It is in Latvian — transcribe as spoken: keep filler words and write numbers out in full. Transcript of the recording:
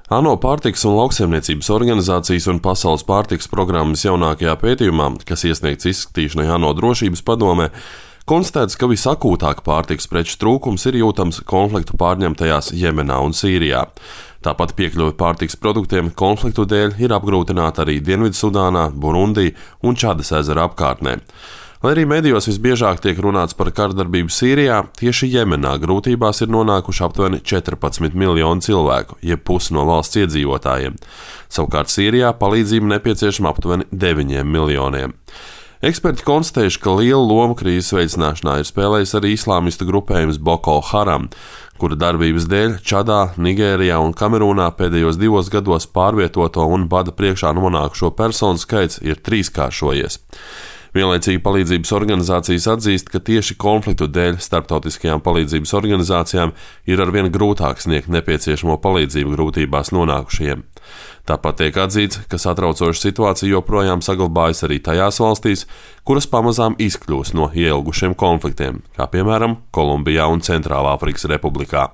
ANO pārtikas un lauksaimniecības organizācijas un Pasaules pārtikas programmas jaunākajā pētījumā, kas iesniegts izskatīšanai ANO drošības padomē, konstatēts, ka visakūtāk pārtikas preču trūkums ir jūtams konfliktu pārņemtajās Jemenā un Sīrijā. Tāpat piekļuve pārtikas produktiem konfliktu dēļ ir apgrūtināta arī Dienvidsudānā, Burundī un Čadas ezera apkārtnē. Lai arī medijos visbiežāk tiek runāts par kardarbību Sīrijā, tieši Jemenā grūtībās ir nonākuši aptuveni četrpadsmit miljoni cilvēku, jeb pusi no valsts iedzīvotājiem. Savukārt Sīrijā palīdzība nepieciešama aptuveni deviņiem miljoniem. Eksperti konstatējuši, ka lielu lomu krīzes veicināšanā ir spēlējis arī islāmistu grupējums Boko Haram, kura darbības dēļ Čadā, Nigērijā un Kamerūnā pēdējos divos gados pārvietoto un bada priekšā nonākušo personu skaits ir trīskāršojies. Vienlaicīgi palīdzības organizācijas atzīst, ka tieši konfliktu dēļ starptautiskajām palīdzības organizācijām ir arvien grūtāk sniegt nepieciešamo palīdzību grūtībās nonākušajiem. Tāpat tiek atzīts, ka satraucoša situācija joprojām saglabājas arī tajās valstīs, kuras pamazām izkļūst no ieilgušiem konfliktiem, kā piemēram Kolumbijā un Centrālāfrikas Republikā.